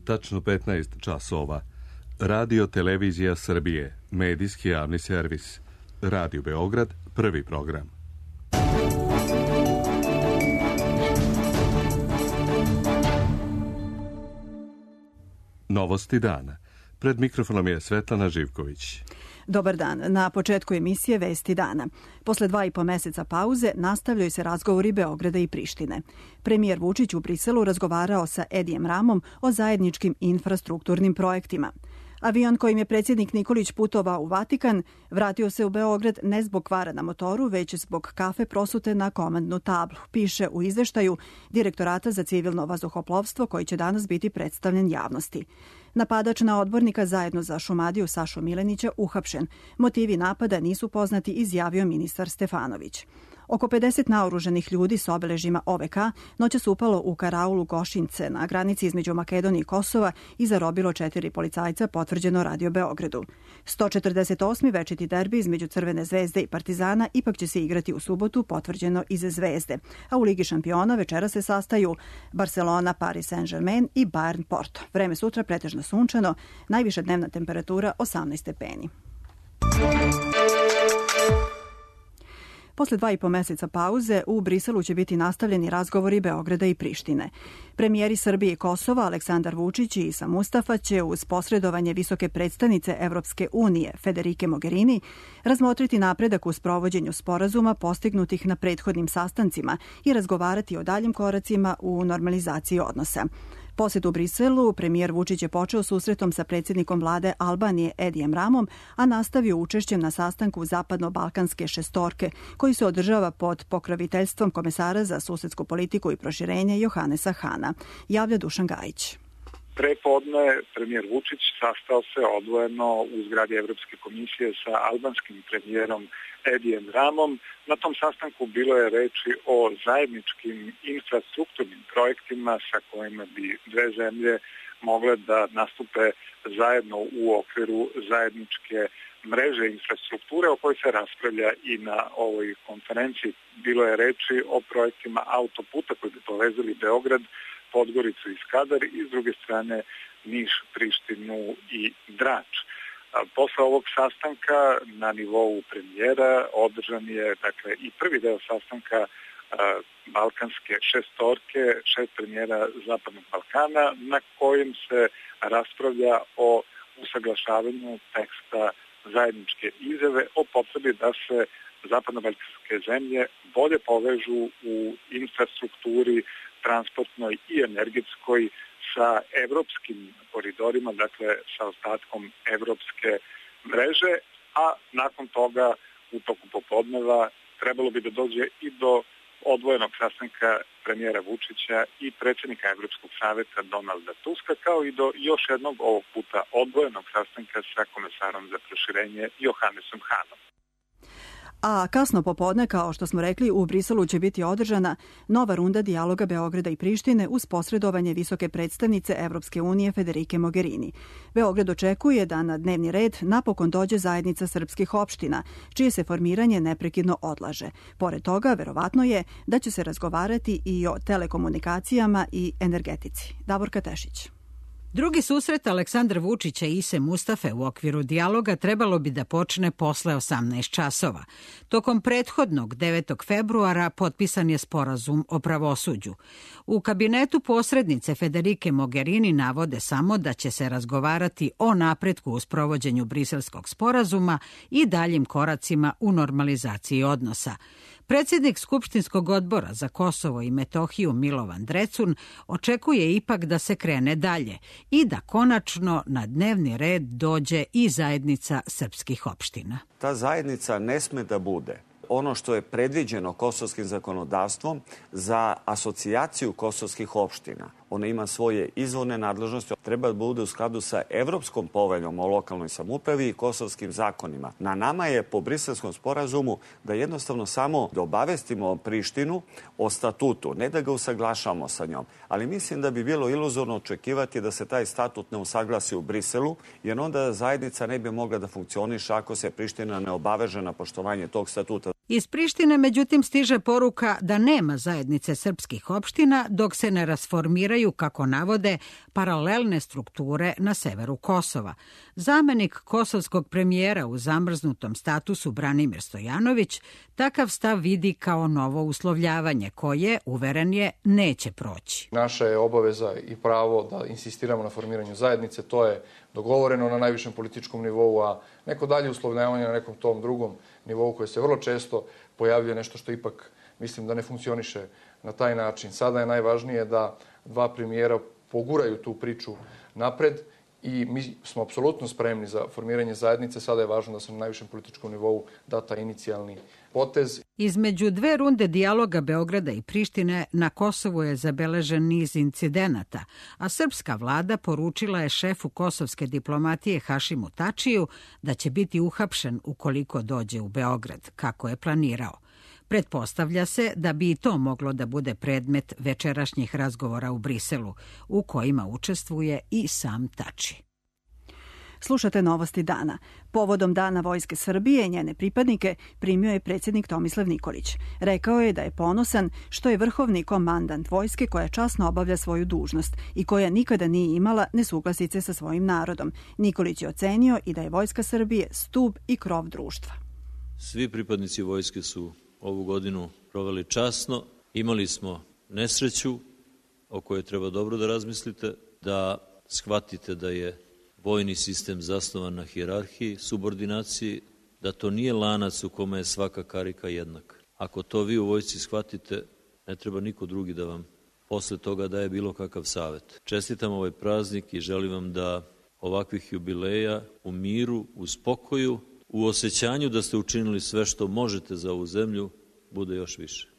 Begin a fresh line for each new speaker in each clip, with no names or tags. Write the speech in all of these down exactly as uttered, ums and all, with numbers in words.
tačno petnaest časova. Radio Televizija Srbije, medijski javni servis. Radio Beograd, prvi program. Novosti dana. Pred mikrofonom je Svetlana Živković.
Dobar dan. Na početku emisije Vesti dana. Posle dva i po meseca pauze nastavljaju se razgovori Beograda i Prištine. Premijer Vučić u Briselu razgovarao sa Edijem Ramom o zajedničkim infrastrukturnim projektima. Avion kojim je predsjednik Nikolić putovao u Vatikan vratio se u Beograd ne zbog kvara na motoru, već zbog kafe prosute na komandnu tablu, piše u izveštaju Direktorata za civilno vazduhoplovstvo koji će danas biti predstavljen javnosti. Napadač na odbornika zajedno za Šumadiju Sašu Milenića uhapšen. Motivi napada nisu poznati, izjavio ministar Stefanović. Oko pedeset naoruženih ljudi s obeležima O V K noćas upalo u karaulu Gošince na granici između Makedonije i Kosova i zarobilo četiri policajca, potvrđeno Radio Beogradu. sto četrdeset osmi večiti derbi između Crvene zvezde i Partizana ipak će se igrati u subotu, potvrđeno iz Zvezde. A u Ligi šampiona večera se sastaju Barcelona, Paris Saint-Germain i Bayern Porto. Vreme sutra pretežno sunčano, najviša dnevna temperatura osamnaest stepeni. Posle dva i po meseca pauze u Briselu će biti nastavljeni razgovori Beograda i Prištine. Premijeri Srbije i Kosova Aleksandar Vučić i Isa Mustafa će uz posredovanje visoke predstavnice Evropske unije Federike Mogherini razmotriti napredak u sprovođenju sporazuma postignutih na prethodnim sastancima i razgovarati o daljim koracima u normalizaciji odnosa. Posjet u Briselu premijer Vučić je počeo susretom sa predsjednikom vlade Albanije Edijem Ramom, a nastavio učešćem na sastanku Zapadno-Balkanske šestorke, koji se održava pod pokroviteljstvom komesara za susedsku politiku i proširenje Johanesa Hana, javlja Dušan Gajić.
Prepodne premijer Vučić sastao se odvojeno u zgradi Evropske komisije sa albanskim premijerom Edijem Ramom. Na tom sastanku bilo je reči o zajedničkim infrastrukturnim projektima sa kojima bi dve zemlje mogle da nastupe zajedno u okviru zajedničke mreže infrastrukture o kojoj se raspravlja i na ovoj konferenciji. Bilo je reči o projektima autoputa koji bi povezali Beograd, Podgoricu i Skadar i s druge strane Niš, Prištinu i Drač. Posle ovog sastanka na nivou premijera održan je dakle i prvi deo sastanka Balkanske šestorke, šest premijera Zapadnog Balkana, na kojem se raspravlja o usaglašavanju teksta zajedničke izjave o potrebi da se zapadno-balkanske zemlje bolje povežu u infrastrukturi transportnoj i energetskoj sa evropskim koridorima, dakle sa ostatkom evropske mreže, a nakon toga u toku popodneva trebalo bi da dođe i do odvojenog sastanka premijera Vučića i predsjednika Evropskog saveta Donalda Tuska, kao i do još jednog ovog puta odvojenog sastanka sa komesarom za proširenje Johanesom Hanom.
A kasno popodne, kao što smo rekli, u Briselu će biti održana nova runda dijaloga Beograda i Prištine uz posredovanje visoke predstavnice Evropske unije Federike Mogherini. Beograd očekuje da na dnevni red napokon dođe zajednica srpskih opština, čije se formiranje neprekidno odlaže. Pored toga, verovatno je da će se razgovarati i o telekomunikacijama i energetici. Davorka Tešić.
Drugi susret Aleksandra Vučića i Ise Mustafe u okviru dijaloga trebalo bi da počne posle osamnaest časova. Tokom prethodnog devetog februara potpisan je sporazum o pravosuđu. U kabinetu posrednice Federike Mogherini navode samo da će se razgovarati o napretku u sprovođenju briselskog sporazuma i daljim koracima u normalizaciji odnosa. Predsjednik Skupštinskog odbora za Kosovo i Metohiju Milovan Drecun očekuje ipak da se krene dalje i da konačno na dnevni red dođe i zajednica srpskih opština.
Ta zajednica ne sme da bude ono što je predviđeno kosovskim zakonodavstvom za asocijaciju kosovskih opština. Ona ima svoje izvorne nadležnosti, treba da bude u skladu sa Evropskom poveljom o lokalnoj samoupravi i kosovskim zakonima. Na nama je po Briselskom sporazumu da jednostavno samo da obavestimo Prištinu o statutu, ne da ga usaglašamo sa njom. Ali mislim da bi bilo iluzorno očekivati da se taj statut ne usaglasi u Briselu, jer onda zajednica ne bi mogla da funkcioniše ako se Priština ne obaveže na poštovanje tog statuta.
Iz Prištine, međutim, stiže poruka da nema zajednice srpskih opština dok se ne rasformiraju, kako navode, paralelne strukture na severu Kosova. Zamenik kosovskog premijera u zamrznutom statusu Branimir Stojanović takav stav vidi kao novo uslovljavanje koje, uveren je, neće proći.
Naša je obaveza i pravo da insistiramo na formiranju zajednice, to je dogovoreno na najvišem političkom nivou, a neko dalje uslovljavanje na nekom tom drugom nivou koje se vrlo često pojavljuje, nešto što ipak mislim da ne funkcioniše na taj način. Sada je najvažnije da dva premijera poguraju tu priču napred i mi smo apsolutno spremni za formiranje zajednice. Sada je važno da se na najvišem političkom nivou da taj inicijalni potez.
Između dve runde dijaloga Beograda i Prištine na Kosovu je zabeležen niz incidenata, a srpska vlada poručila je šefu kosovske diplomatije Hašimu Tačiju da će biti uhapšen ukoliko dođe u Beograd, kako je planirao. Pretpostavlja se da bi i to moglo da bude predmet večerašnjih razgovora u Briselu, u kojima učestvuje i sam Tači.
Slušate Novosti dana. Povodom Dana Vojske Srbije i njene pripadnike primio je predsjednik Tomislav Nikolić. Rekao je da je ponosan što je vrhovni komandant vojske koja časno obavlja svoju dužnost i koja nikada nije imala nesuglasice sa svojim narodom. Nikolić je ocenio i da je Vojska Srbije stub i krov društva.
Svi pripadnici vojske su ovu godinu proveli časno. Imali smo nesreću o kojoj treba dobro da razmislite, da shvatite da je vojni sistem zasnovan na hijerarhiji, subordinaciji, da to nije lanac u kome je svaka karika jednaka. Ako to vi u vojsci shvatite, ne treba niko drugi da vam posle toga daje bilo kakav savjet. Čestitam ovaj praznik i želim vam da ovakvih jubileja u miru, u spokoju, u osjećanju da ste učinili sve što možete za ovu zemlju, bude još više.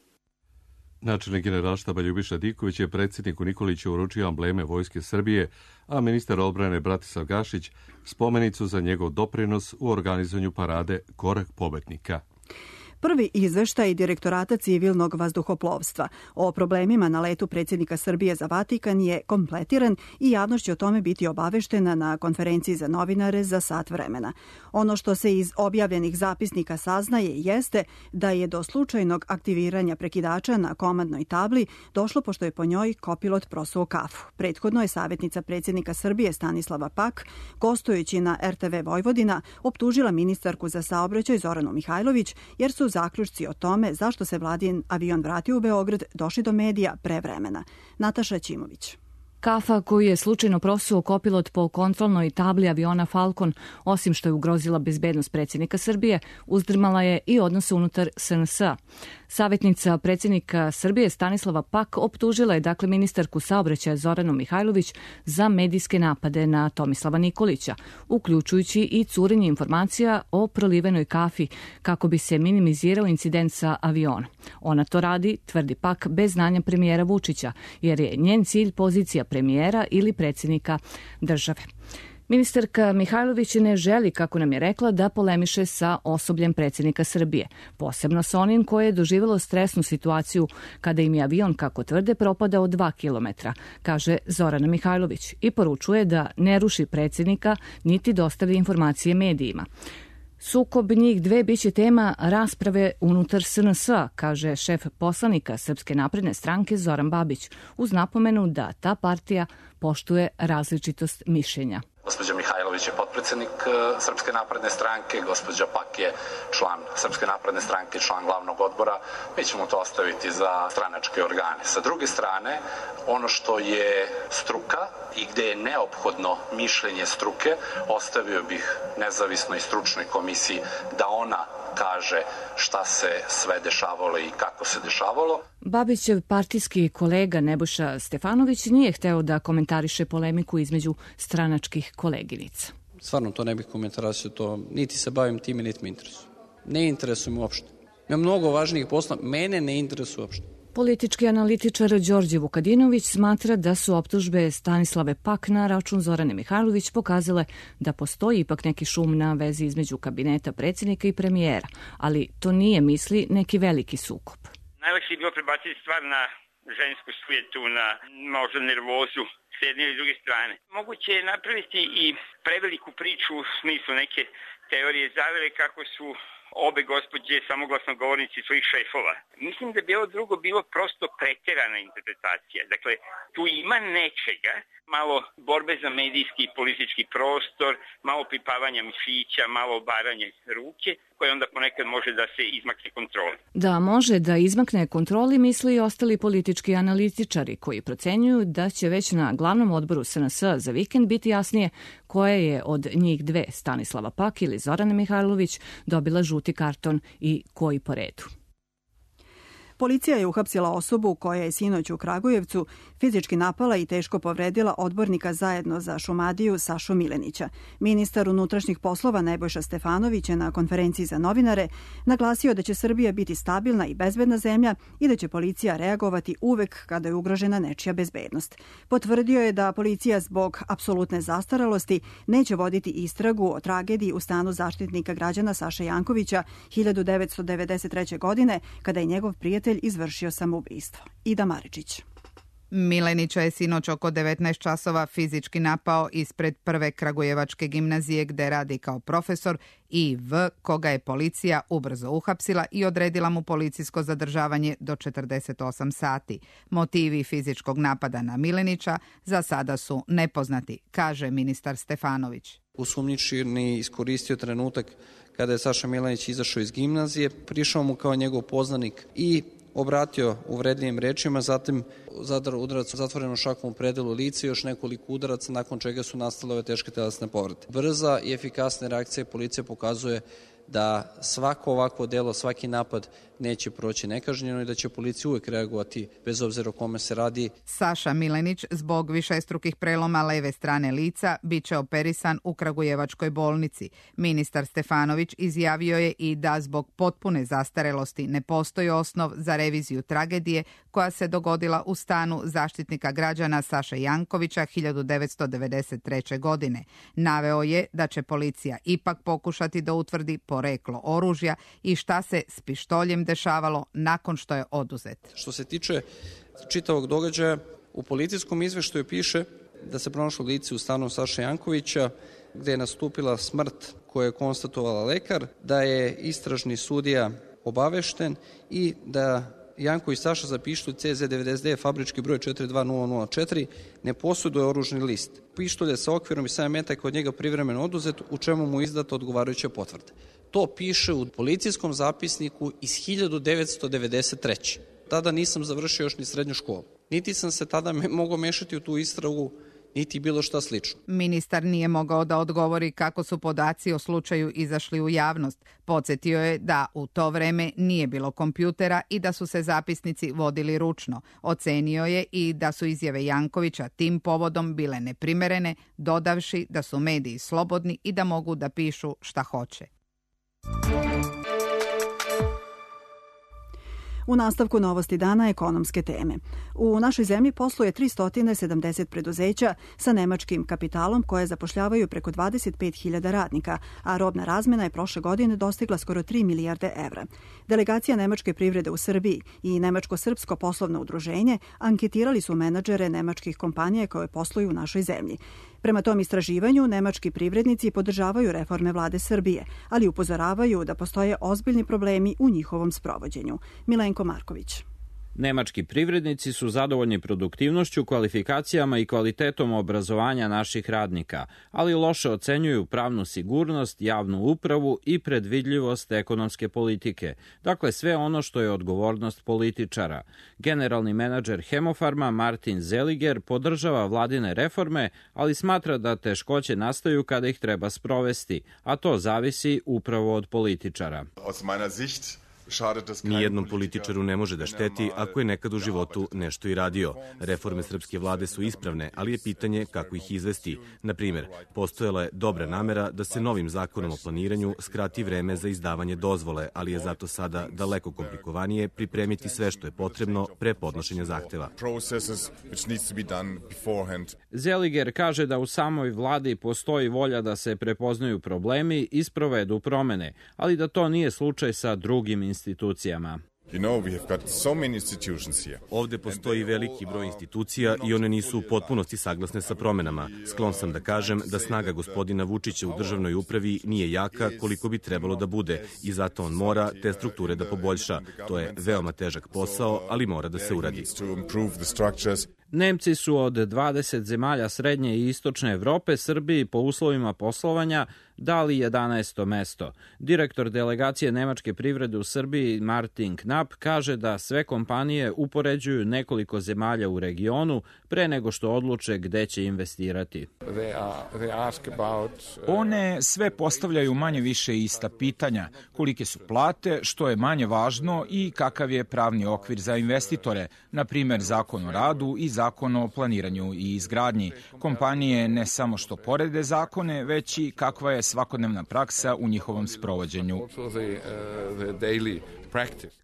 Načelnik Generalštaba Ljubiša Diković je predsjedniku Nikoliću uručio ambleme Vojske Srbije, a ministar odbrane Bratislav Gašić spomenicu za njegov doprinos u organizovanju parade Korak pobednika.
Prvi izveštaj Direktorata civilnog vazduhoplovstva o problemima na letu predsjednika Srbije za Vatikan je kompletiran i javnost će o tome biti obaveštena na konferenciji za novinare za sat vremena. Ono što se iz objavljenih zapisnika saznaje jeste da je do slučajnog aktiviranja prekidača na komandnoj tabli došlo pošto je po njoj kopilot prosuo kafu. Prethodno je savjetnica predsjednika Srbije Stanislava Pak, gostujući na er te ve Vojvodina, optužila ministarku za saobraćaj Zoranu Mihajlović jer su zaključci o tome zašto se vladin avion vratio u Beograd došli do medija pre vremena. Nataša Ćimović.
Kafa koju je slučajno prosuo kopilot po kontrolnoj tabli aviona Falcon, osim što je ugrozila bezbednost predsjednika Srbije, uzdrmala je i odnose unutar es en es a. Savjetnica predsjednika Srbije Stanislava Pak optužila je dakle ministarku saobraćaja Zoranu Mihajlović za medijske napade na Tomislava Nikolića, uključujući i curenje informacija o prolivenoj kafi kako bi se minimizirao incident sa aviona. Ona to radi, tvrdi Pak, bez znanja premijera Vučića, jer je njen cilj pozicija premijera ili predsjednika države. Ministarka Mihajlović ne želi, kako nam je rekla, da polemiše sa osobljem predsjednika Srbije, posebno sa onim koje je doživjelo stresnu situaciju kada im je avion, kako tvrde, propadao dva kilometra, kaže Zorana Mihajlović, i poručuje da ne ruši predsjednika niti dostavlja informacije medijima. Sukob njih dve biće tema rasprave unutar es en es a, kaže šef poslanika Srpske napredne stranke Zoran Babić, uz napomenu da ta partija poštuje različitost mišljenja.
Gospođa Mihajlović je potpredsjednik Srpske napredne stranke, gospođa Pak je član Srpske napredne stranke, član glavnog odbora. Mi ćemo to ostaviti za stranačke organe. Sa druge strane, ono što je struka i gde je neophodno mišljenje struke, ostavio bih nezavisnoj stručnoj komisiji da ona kaže šta se sve dešavalo i kako se dešavalo.
Babićev partijski kolega Nebojša Stefanović nije hteo da komentariše polemiku između stranačkih koleginica.
Stvarno to ne bih komentarisao, to niti se bavim time, niti me interesuje. Ne interesuje me uopšte. Ima mnogo važnijih posla, mene ne interesuje uopšte.
Politički analitičar Đorđe Vukadinović smatra da su optužbe Stanislave Pak na račun Zorane Mihajlović pokazale da postoji ipak neki šum na vezi između kabineta predsjednika i premijera, ali to nije, misli, neki veliki sukob.
Najlakše je bilo prebaciti stvar na žensku sujetu, na možda nervozu s jedne ili druge strane. Moguće je napraviti i preveliku priču u smislu neke teorije zavere kako su obe gospođe samoglasno govornici svojih šefova. Mislim da bi ovo drugo bilo prosto preterana interpretacija. Dakle, tu ima nečega, malo borbe za medijski i politički prostor, malo pripavanja mišića, malo obaranje ruke, koje onda ponekad može da se izmakne kontroli.
Da može da izmakne kontroli, misli i ostali politički analitičari koji procenjuju da će već na glavnom odboru S N S za vikend biti jasnije koje je od njih dve, Stanislava Pak ili Zorana Mihajlović, dobila žuti karton i koji po redu.
Policija je uhapsila osobu koja je sinoć u Kragujevcu fizički napala i teško povredila odbornika Zajedno za Šumadiju Sašu Milenića. Ministar unutrašnjih poslova Nebojša Stefanović je na konferenciji za novinare naglasio da će Srbija biti stabilna i bezbedna zemlja i da će policija reagovati uvek kada je ugrožena nečija bezbednost. Potvrdio je da policija zbog apsolutne zastaralosti neće voditi istragu o tragediji u stanu Zaštitnika građana Saše Jankovića hiljadu devetsto devedeset treće. godine kada je njegov prijatelj izvršio samoubistvo. Ida Maričić.
Milenića je sinoć oko devetnaest časova fizički napao ispred prve Kragujevačke gimnazije gde radi kao profesor I V, koga je policija ubrzo uhapsila i odredila mu policijsko zadržavanje do četrdeset osam sati. Motivi fizičkog napada na Milenića za sada su nepoznati, kaže ministar Stefanović.
Osumnjičeni iskoristio trenutak kada je Saša Milenić izašao iz gimnazije, prišao mu kao njegov poznanik i obratio uvredljivim rečima, zatim zadao udarac zatvorenom šakom u predelu lica i još nekoliko udaraca, nakon čega su nastale ove teške telesne povrede. Brza i efikasna reakcija policije pokazuje da svako ovakvo delo, svaki napad neće proći nekažnjeno i da će policija uvek reagovati bez obzira o kome se radi.
Saša Milenić zbog višestrukih preloma leve strane lica biće operisan u Kragujevačkoj bolnici. Ministar Stefanović izjavio je i da zbog potpune zastarelosti ne postoji osnov za reviziju tragedije koja se dogodila u stanu Zaštitnika građana Saše Jankovića hiljadu devetsto devedeset treće. godine. Naveo je da će policija ipak pokušati da utvrdi poreklo oružja i šta se s pištoljem dešavalo nakon što je oduzet.
Što se tiče čitavog događaja, u policijskom izveštaju piše da se pronašlo lice u stanu Saše Jankovića, gde je nastupila smrt koju je konstatovala lekar, da je istražni sudija obavešten i da Janković Saša za pištolj C Z devedeset devet fabrički broj četiri dva nula nula četiri ne posjeduje oružni list. Pištolj je sa okvirom i sedam metaka od njega privremeno oduzet, u čemu mu je izdata odgovarajuća potvrda. To piše u policijskom zapisniku iz hiljadu devetsto devedeset treće. Tada nisam završio još ni srednju školu. Niti sam se tada me, mogao mešati u tu istragu, niti bilo šta slično.
Ministar nije mogao da odgovori kako su podaci o slučaju izašli u javnost. Podsjetio je da u to vreme nije bilo kompjutera i da su se zapisnici vodili ručno. Ocenio je i da su izjave Jankovića tim povodom bile neprimerene, dodavši da su mediji slobodni i da mogu da pišu šta hoće.
U nastavku novosti dana ekonomske teme. U našoj zemlji posluje tristo sedamdeset preduzeća sa nemačkim kapitalom koje zapošljavaju preko dvadeset pet hiljada radnika, a robna razmena je prošle godine dostigla skoro tri milijarde evra. Delegacija nemačke privrede u Srbiji i Nemačko-srpsko poslovno udruženje anketirali su menadžere nemačkih kompanija koje posluju u našoj zemlji. Prema tom istraživanju, nemački privrednici podržavaju reforme vlade Srbije, ali upozoravaju da postoje ozbiljni problemi u njihovom sprovođenju. Milenko Marković.
Nemački privrednici su zadovoljni produktivnošću, kvalifikacijama i kvalitetom obrazovanja naših radnika, ali loše ocenjuju pravnu sigurnost, javnu upravu i predvidljivost ekonomske politike. Dakle, sve ono što je odgovornost političara. Generalni menadžer Hemofarma Martin Zeliger podržava vladine reforme, ali smatra da teškoće nastaju kada ih treba sprovesti, a to zavisi upravo od političara.
Nijednom političaru ne može da šteti ako je nekad u životu nešto i radio. Reforme srpske vlade su ispravne, ali je pitanje kako ih izvesti. Na primjer, postojala je dobra namera da se novim zakonom o planiranju skrati vreme za izdavanje dozvole, ali je zato sada daleko komplikovanije pripremiti sve što je potrebno pre podnošenja zahteva.
Zeliger kaže da u samoj vladi postoji volja da se prepoznaju problemi i sprovedu promene, ali da to nije slučaj sa drugim institucijama.
Ovde postoji veliki broj institucija i one nisu u potpunosti saglasne sa promenama. Sklon sam da kažem da snaga gospodina Vučića u državnoj upravi nije jaka koliko bi trebalo da bude i zato on mora te strukture da poboljša. To je veoma težak posao, ali mora da se uradi.
Nemci su od dvadeset zemalja srednje i istočne Evrope Srbiji po uslovima poslovanja dali jedanaesto mesto. Direktor delegacije nemačke privrede u Srbiji Martin Knapp kaže da sve kompanije upoređuju nekoliko zemalja u regionu pre nego što odluče gde će investirati.
One sve postavljaju manje više ista pitanja. Kolike su plate, što je manje važno i kakav je pravni okvir za investitore, na primer zakon o radu i zakon o planiranju i izgradnji. Kompanije ne samo što porede zakone, već i kakva je svakodnevna praksa u njihovom sprovođenju.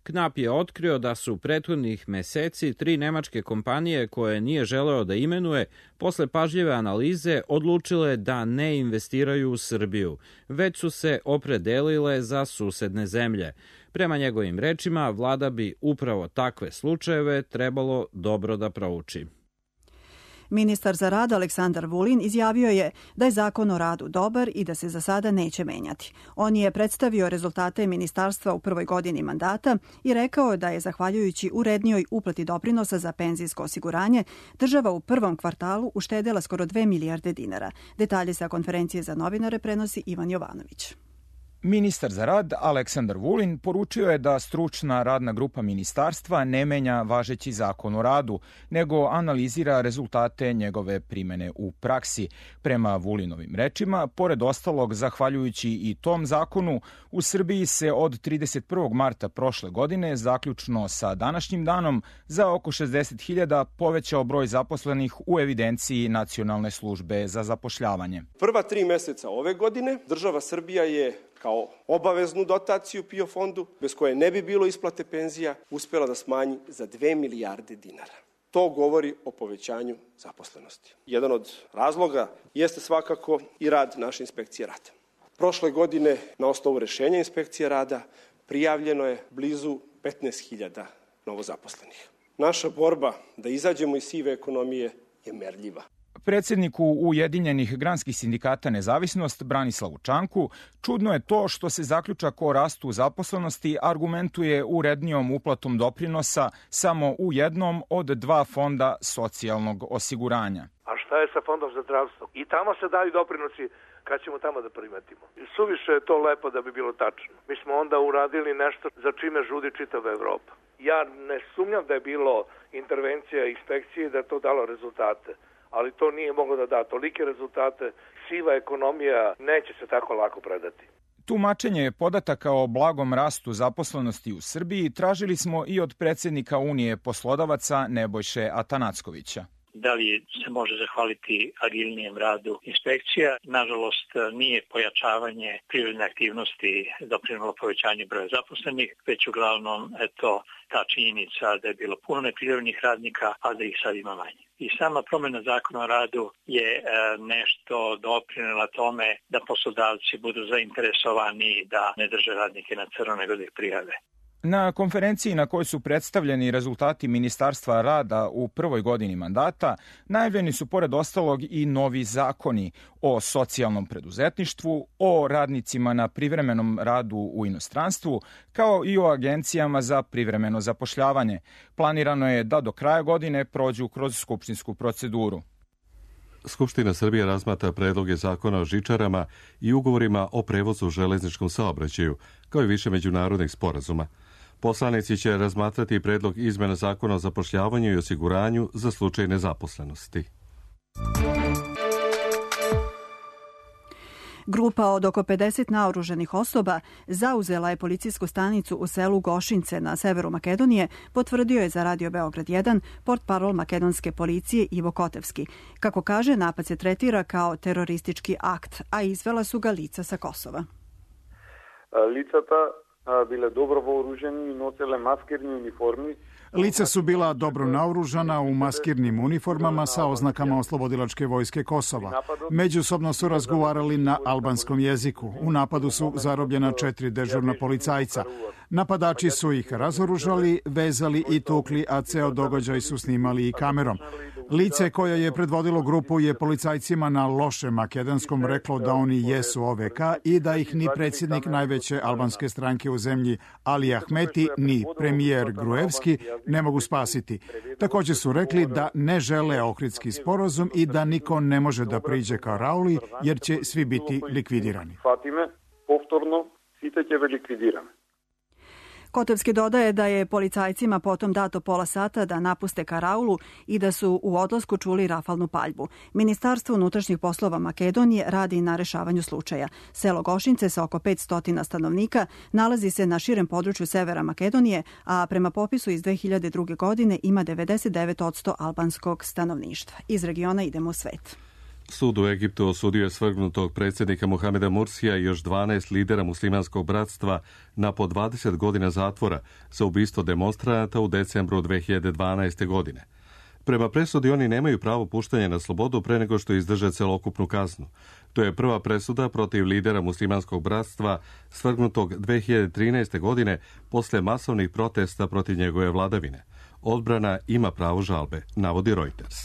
Knapp je otkrio da su prethodnih meseci tri nemačke kompanije koje nije želeo da imenuje posle pažljive analize odlučile da ne investiraju u Srbiju, već su se opredelile za susedne zemlje. Prema njegovim rečima, vlada bi upravo takve slučajeve trebalo dobro da prouči.
Ministar za rad Aleksandar Vulin izjavio je da je zakon o radu dobar i da se za sada neće menjati. On je predstavio rezultate ministarstva u prvoj godini mandata i rekao da je zahvaljujući urednijoj uplati doprinosa za penzijsko osiguranje država u prvom kvartalu uštedela skoro dve milijarde dinara. Detalje sa konferencije za novinare prenosi Ivan Jovanović.
Ministar za rad Aleksandar Vulin poručio je da stručna radna grupa ministarstva ne menja važeći zakon o radu, nego analizira rezultate njegove primene u praksi. Prema Vulinovim rečima, pored ostalog, zahvaljujući i tom zakonu, u Srbiji se od trideset prvog marta prošle godine, zaključno sa današnjim danom, za oko šezdeset hiljada povećao broj zaposlenih u evidenciji Nacionalne službe za zapošljavanje.
Prva tri meseca ove godine država Srbija je kao obaveznu dotaciju P I O fondu, bez koje ne bi bilo isplate penzija, uspela da smanji za dve milijarde dinara. To govori o povećanju zaposlenosti. Jedan od razloga jeste svakako i rad naše inspekcije rada. Prošle godine, na osnovu rešenja inspekcije rada, prijavljeno je blizu petnaest hiljada novozaposlenih. Naša borba da izađemo iz sive ekonomije je merljiva.
Predsedniku Ujedinjenih granskih sindikata Nezavisnost Branislavu Čanku čudno je to što se zaključak o rastu zaposlenosti argumentuje urednijom uplatom doprinosa samo u jednom od dva fonda socijalnog osiguranja.
A šta je sa fondom za zdravstvo? I tamo se daju doprinosi, kad ćemo tamo da primetimo. Suviše je to lepo da bi bilo tačno. Mi smo onda uradili nešto za čime žudi čitava Evropa. Ja ne sumnjam da je bilo intervencija inspekcije da je to dalo rezultate, ali to nije moglo da da tolike rezultate. Siva ekonomija neće se tako lako predati.
Tumačenje podataka o blagom rastu zaposlenosti u Srbiji tražili smo i od predsednika Unije poslodavaca Nebojše Atanackovića.
Da li se može zahvaliti agilnijem radu inspekcija? Nažalost, nije pojačavanje privredne aktivnosti doprinelo povećanju broja zaposlenih, već uglavnom eto, ta činjenica da je bilo puno neprivrednih radnika, a da ih sad ima manje. I sama promjena zakona o radu je e, nešto doprinela tome da poslodavci budu zainteresovani da ne drže radnike na crno nego da ih prijave.
Na konferenciji na kojoj su predstavljeni rezultati Ministarstva rada u prvoj godini mandata, najavljeni su pored ostalog i novi zakoni o socijalnom preduzetništvu, o radnicima na privremenom radu u inostranstvu, kao i o agencijama za privremeno zapošljavanje. Planirano je da do kraja godine prođu kroz skupštinsku proceduru.
Skupština Srbije razmatra predloge zakona o žičarama i ugovorima o prevozu u železničkom saobraćaju, kao i više međunarodnih sporazuma. Poslanici će razmatrati predlog izmena zakona o zapošljavanju i osiguranju za slučaj nezaposlenosti.
Grupa od oko pedeset naoružanih osoba zauzela je policijsku stanicu u selu Gošince na severu Makedonije, potvrdio je za Radio Beograd jedan portparol makedonske policije Ivo Kotevski. Kako kaže, napad se tretira kao teroristički akt, a izvela su ga lica sa Kosova.
Licata bile dobro voruženi i nosile maskirni uniformi.
Lica su bila dobro naoružana u maskirnim uniformama sa oznakama Oslobodilačke vojske Kosova. Međusobno su razgovarali na albanskom jeziku. U napadu su zarobljena četiri dežurna policajca. Napadači su ih razoružali, vezali i tukli, a ceo događaj su snimali i kamerom. Lice koje je predvodilo grupu je policajcima na lošem makedonskom reklo da oni jesu O V K i da ih ni predsjednik najveće albanske stranke u zemlji Ali Ahmeti ni premijer Gruevski ne mogu spasiti. Također su rekli da ne žele Ohridski sporazum i da niko ne može da priđe ka Rauli jer će svi biti likvidirani.
Повторно, сите ќе ве ликвидираме.
Kotovski dodaje da je policajcima potom dato pola sata da napuste Karaulu i da su u odlasku čuli rafalnu paljbu. Ministarstvo unutrašnjih poslova Makedonije radi na rešavanju slučaja. Selo Gošince sa oko petsto stanovnika nalazi se na širem području severa Makedonije, a prema popisu iz dve hiljade druge. godine ima devedeset devet posto albanskog stanovništva. Iz regiona idemo u svet.
Sud u Egiptu osudio je svrgnutog predsjednika Mohameda Mursija i još dvanaest lidera muslimanskog bratstva na po dvadeset godina zatvora za ubistvo demonstranata u decembru dve hiljade dvanaeste. godine. Prema presudi oni nemaju pravo puštanja na slobodu pre nego što izdrže celokupnu kaznu. To je prva presuda protiv lidera muslimanskog bratstva svrgnutog dve hiljade trinaeste. godine posle masovnih protesta protiv njegove vladavine. Odbrana ima pravo žalbe, navodi Reuters.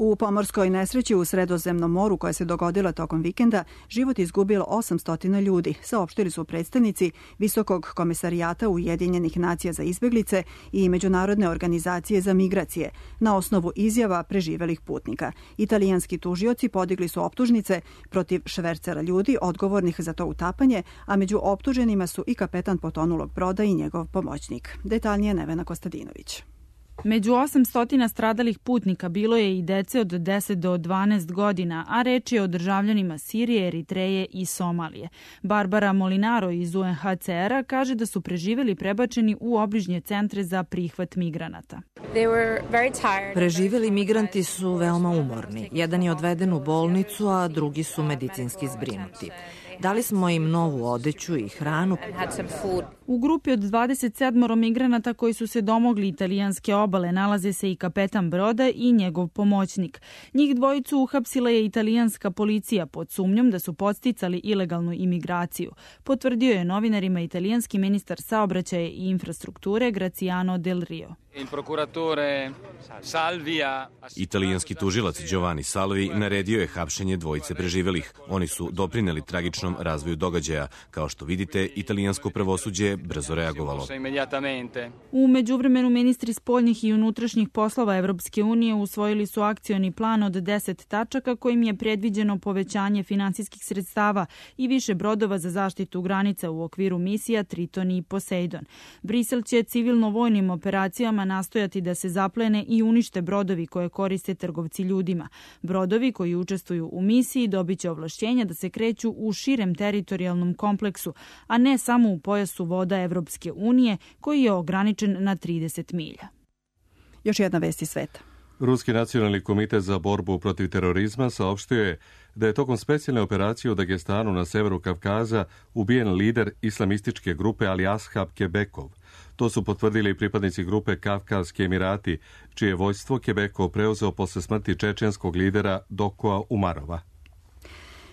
U pomorskoj nesreći u Sredozemnom moru koja se dogodila tokom vikenda život izgubilo osamsto ljudi, saopštili su predstavnici Visokog komesarijata Ujedinjenih nacija za izbeglice i Međunarodne organizacije za migracije na osnovu izjava preživelih putnika. Italijanski tužioci podigli su optužnice protiv švercera ljudi odgovornih za to utapanje, a među optuženima su i kapetan potonulog broda i njegov pomoćnik. Detaljnije Nevena Kostadinović.
Među osamsto stradalih putnika bilo je i dece od deset do dvanaest godina, a reč je o državljanima Sirije, Eritreje i Somalije. Barbara Molinaro iz U N H C R-a kaže da su preživeli prebačeni u obližnje centre za prihvat migranata.
Preživeli migranti su veoma umorni. Jedan je odveden u bolnicu, a drugi su medicinski zbrinuti. Dali smo im novu odeću i hranu.
U grupi od dvadeset sedam migranata koji su se domogli italijanske obale nalaze se i kapetan broda i njegov pomoćnik. Njih dvojicu uhapsila je italijanska policija pod sumnjom da su podsticali ilegalnu imigraciju, potvrdio je novinarima italijanski ministar saobraćaja i infrastrukture Graziano Del Rio.
Italijanski tužilac Giovanni Salvi naredio je hapšenje dvojice preživelih. Oni su doprineli tragičnom razvoju događaja. Kao što vidite, italijansko pravosuđe je brzo reagovalo.
U međuvremenu ministri spoljnih i unutrašnjih poslova Evropske unije usvojili su akcioni plan od deset tačaka kojim je predviđeno povećanje finansijskih sredstava i više brodova za zaštitu granica u okviru misija Triton i Poseidon. Brisel će civilno-vojnim operacijama nastojati da se zaplene i unište brodovi koje koriste trgovci ljudima. Brodovi koji učestvuju u misiji dobit će ovlašćenja da se kreću u širem teritorijalnom kompleksu, a ne samo u pojasu voda Evropske unije koji je ograničen na trideset milja.
Još jedna vest iz sveta.
Ruski nacionalni komitet za borbu protiv terorizma saopštio je da je tokom specijalne operacije u Dagestanu na severu Kavkaza ubijen lider islamističke grupe Ali Ashab Kebekov. To su potvrdili pripadnici grupe Kavkazski Emirati, čije vojstvo Kebekov preuzeo posle smrti čečenskog lidera Dokoa Umarova.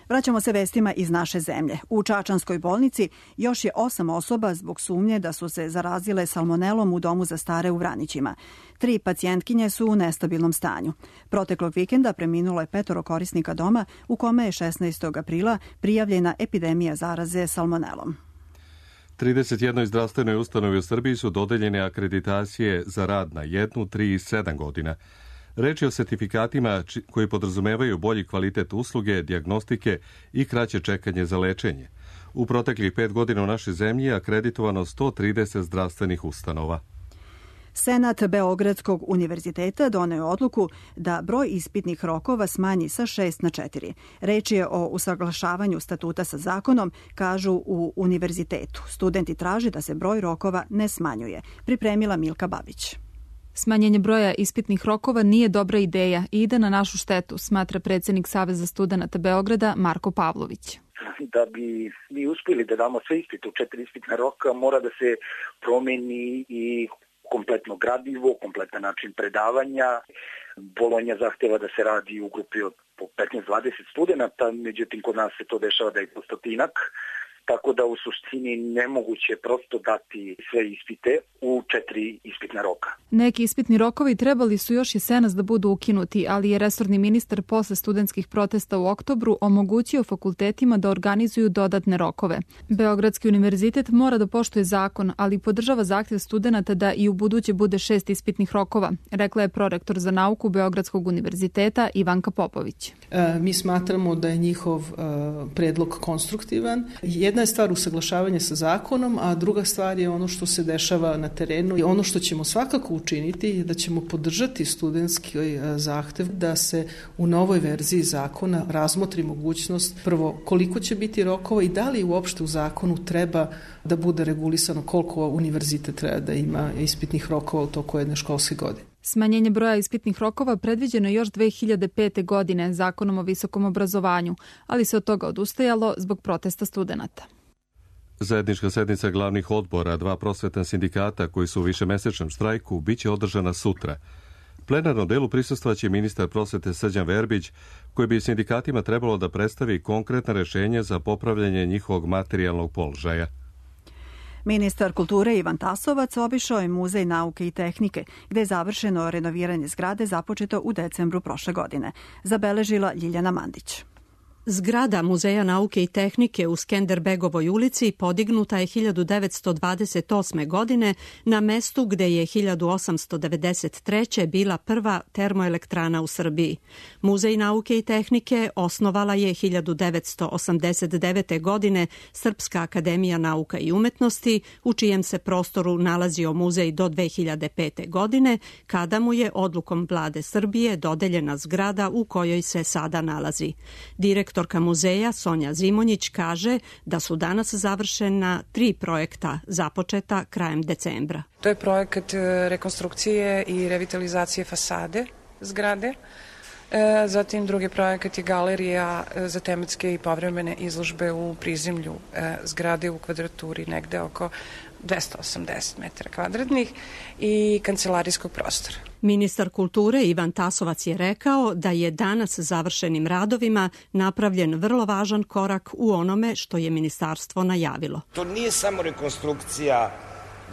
Vraćamo se vestima iz naše zemlje. U Čačanskoj bolnici još je osam osoba zbog sumnje da su se zarazile salmonelom u domu za stare u Vranićima. Tri pacijentkinje su u nestabilnom stanju. Proteklog vikenda preminulo je petoro korisnika doma u kome je šesnaestog aprila prijavljena epidemija zaraze salmonelom.
trideset jednoj zdravstvenoj ustanovi u Srbiji su dodeljene akreditacije za rad na jednu, tri i sedam godina. Reč je o sertifikatima koji podrazumevaju bolji kvalitet usluge, dijagnostike i kraće čekanje za lečenje. U proteklih pet godina u našoj zemlji je akreditovano sto trideset zdravstvenih ustanova.
Senat Beogradskog univerziteta doneo je odluku da broj ispitnih rokova smanji sa šest na četiri. Reč je o usaglašavanju statuta sa zakonom, kažu u univerzitetu. Studenti traže da se broj rokova ne smanjuje. Pripremila Milka Babić.
Smanjenje broja ispitnih rokova nije dobra ideja i ide na našu štetu, smatra predsjednik Saveza studenata Beograda Marko Pavlović.
Da bi mi uspjeli da damo sve ispite u četiri ispitna roka, mora da se promeni i kompletno gradivo, kompletan način predavanja. Bolonja zahteva da se radi u grupi od po petnaest do dvadeset studenta, međutim kod nas se to dešava da je po stotinak. tako da u suštini nemoguće prosto dati sve ispite u četiri ispitna roka.
Neki ispitni rokovi trebali su još jesenas da budu ukinuti, ali je resorni ministar posle studentskih protesta u oktobru omogućio fakultetima da organizuju dodatne rokove. Beogradski univerzitet mora da poštuje zakon, ali podržava zahtev studenata da i u buduće bude šest ispitnih rokova, rekla je prorektor za nauku Beogradskog univerziteta Ivanka Popović.
E, mi smatramo da je njihov e, predlog konstruktivan. Jedna je stvar usaglašavanje sa zakonom, a druga stvar je ono što se dešava na terenu. I ono što ćemo svakako učiniti je da ćemo podržati studentski zahtev da se u novoj verziji zakona razmotri mogućnost prvo koliko će biti rokova i da li uopšte u zakonu treba da bude regulisano koliko univerzitet treba da ima ispitnih rokova u toku jedne školske godine.
Smanjenje broja ispitnih rokova predviđeno je još dve hiljade pete. godine zakonom o visokom obrazovanju, ali se od toga odustajalo zbog protesta studenata.
Zajednička sednica glavnih odbora dva prosvetna sindikata koji su u višemesečnom štrajku biće održana sutra. Plenarnom delu prisustvaće ministar prosvete Srđan Verbić, koji bi sindikatima trebalo da predstavi konkretna rešenja za popravljanje njihovog materijalnog položaja.
Ministar kulture Ivan Tasovac obišao je Muzej nauke i tehnike, gde je završeno renoviranje zgrade započeto u decembru prošle godine. Zabeležila Ljiljana Mandić.
Zgrada Muzeja nauke i tehnike u Skenderbegovoj ulici podignuta je hiljadu devetsto dvadeset osme. godine na mestu gde je hiljadu osamsto devedeset treće. bila prva termoelektrana u Srbiji. Muzej nauke i tehnike osnovala je hiljadu devetsto osamdeset devete. godine Srpska akademija nauka i umetnosti, u čijem se prostoru nalazio muzej do dve hiljade pete. godine, kada mu je odlukom vlade Srbije dodeljena zgrada u kojoj se sada nalazi. Direktor Direktorka muzeja Sonja Zimonjić kaže da su danas završena tri projekta započeta krajem decembra.
To je projekat rekonstrukcije i revitalizacije fasade zgrade. Zatim drugi projekat je galerija za tematske i povremene izložbe u prizemlju zgrade u kvadraturi negde oko dvesta osamdeset metara kvadratnih i kancelarijskog prostora.
Ministar kulture Ivan Tasovac je rekao da je danas završenim radovima napravljen vrlo važan korak u onome što je ministarstvo najavilo.
To nije samo rekonstrukcija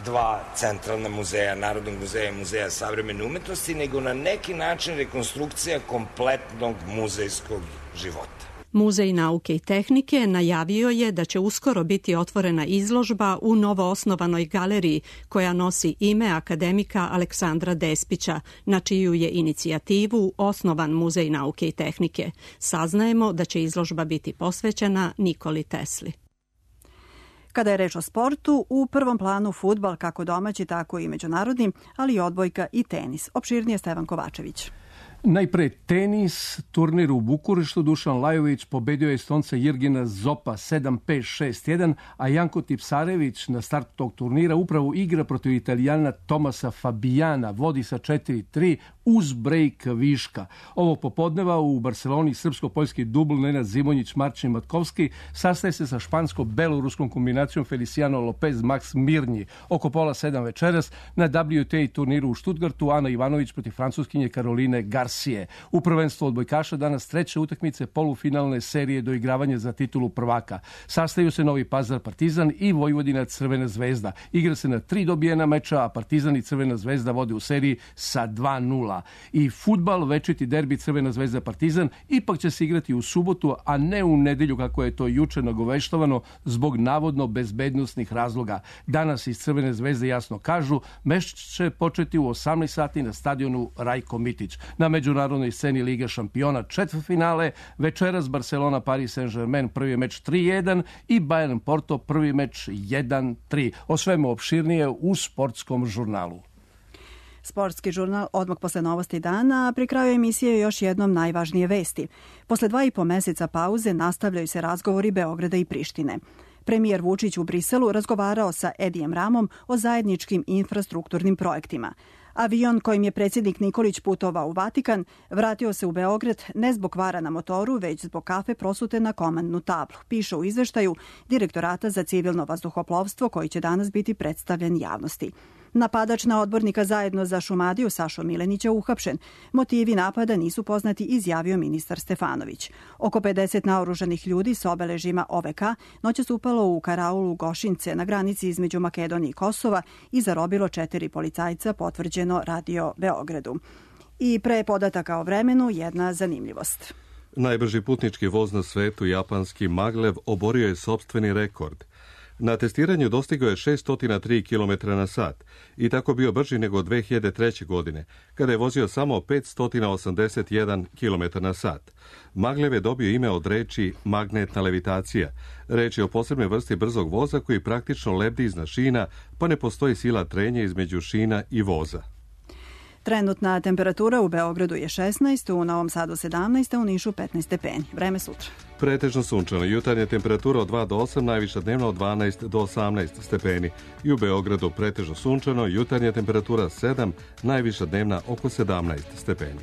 dva centralna muzeja, Narodnog muzeja i Muzeja savremene umetnosti, nego na neki način rekonstrukcija kompletnog muzejskog života.
Muzej nauke i tehnike najavio je da će uskoro biti otvorena izložba u novoosnovanoj galeriji koja nosi ime akademika Aleksandra Despića, na čiju je inicijativu osnovan Muzej nauke i tehnike. Saznajemo da će izložba biti posvećena Nikoli Tesli.
Kada je reč o sportu, u prvom planu fudbal kako domaći, tako i međunarodni, ali i odbojka i tenis. Opširnije Stevan Kovačević.
Najpre tenis, turnir u Bukureštu, Dušan Lajović pobedio je Estonca Jirgina Zopa sedam pet šest jedan, a Janko Tipsarević na startu tog turnira upravo igra protiv Italijana Tomasa Fabijana, vodi sa četiri tri uz brejk viška. Ovog popodneva u Barceloni srpsko-poljski dubl Nenad Zimonjić, Marčin Matkovski sastaje se sa špansko-beloruskom kombinacijom Feliciano Lopez, Max Mirnji. Oko pola sedam večeras na W T A turniru u Stuttgartu Ana Ivanović protiv francuskinje Karoline Garcia. U prvenstvu odbojkaša danas treće utakmice polufinalne serije doigravanja za titulu prvaka. Sastaju se Novi Pazar Partizan i Vojvodina Crvena zvezda. Igra se na tri dobijena meča, a Partizan i Crvena zvezda vode u seriji sa dva nula. I fudbal, večiti derbi Crvena zvezda Partizan, ipak će se igrati u subotu, a ne u nedelju kako je to juče nagoveštovano zbog navodno bezbednosnih razloga. Danas iz Crvene zvezde jasno kažu, meč će početi u osamnaest sati na stadionu Rajko Mitić. Na međunarodnoj sceni Liga šampiona četvrtfinale, večeras Barcelona Paris Saint-Germain prvi meč tri jedan i Bayern Porto prvi meč jedan tri. O svemu opširnije u sportskom žurnalu.
Sportski žurnal odmah posle novosti dana, pri kraju emisije još jednom najvažnije vesti. Posle dva i po meseca pauze nastavljaju se razgovori Beograda i Prištine. Premijer Vučić u Briselu razgovarao sa Edijem Ramom o zajedničkim infrastrukturnim projektima. Avion kojim je predsjednik Nikolić putovao u Vatikan vratio se u Beograd ne zbog kvara na motoru, već zbog kafe prosute na komandnu tablu, piše u izveštaju Direktorata za civilno vazduhoplovstvo koji će danas biti predstavljen javnosti. Napadač na odbornika zajedno za Šumadiju Sašo Milenića uhapšen. Motivi napada nisu poznati, izjavio ministar Stefanović. Oko pedeset naoružanih ljudi s obeležima O V K noćas upalo u karaulu Gošince na granici između Makedonije i Kosova i zarobilo četiri policajca, potvrđeno Radio Beogradu. I pre podataka o vremenu jedna zanimljivost.
Najbrži putnički voz na svetu, japanski Maglev, oborio je sopstveni rekord. Na testiranju dostigao je šeststo tri kilometra na sat i tako bio brži nego dve hiljade treće. godine, kada je vozio samo petsto osamdeset jedan kilometar na sat. Maglev je dobio ime od reči magnetna levitacija. Reč je o posebnoj vrsti brzog voza koji praktično lebdi iznad šina, pa ne postoji sila trenja između šina i voza.
Trenutna temperatura u Beogradu je šesnaest, u Novom Sadu sedamnaest, a u Nišu petnaest stepeni. Vreme sutra.
Pretežno sunčano, jutarnja temperatura od dva do osam, najviša dnevna od dvanaest do osamnaest stepeni. I u Beogradu pretežno sunčano, jutarnja temperatura sedam, najviša dnevna oko sedamnaest stepeni.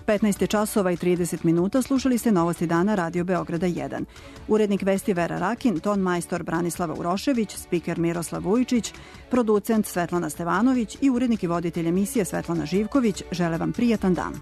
petnaest časova i trideset minuta, slušali ste Novosti dana Radio Beograda jedan. Urednik vesti Vera Rakin, ton majstor Branislava Urošević, spiker Miroslav Vujčić, producent Svetlana Stevanović i urednik i voditelj emisije Svetlana Živković žele vam prijatan dan.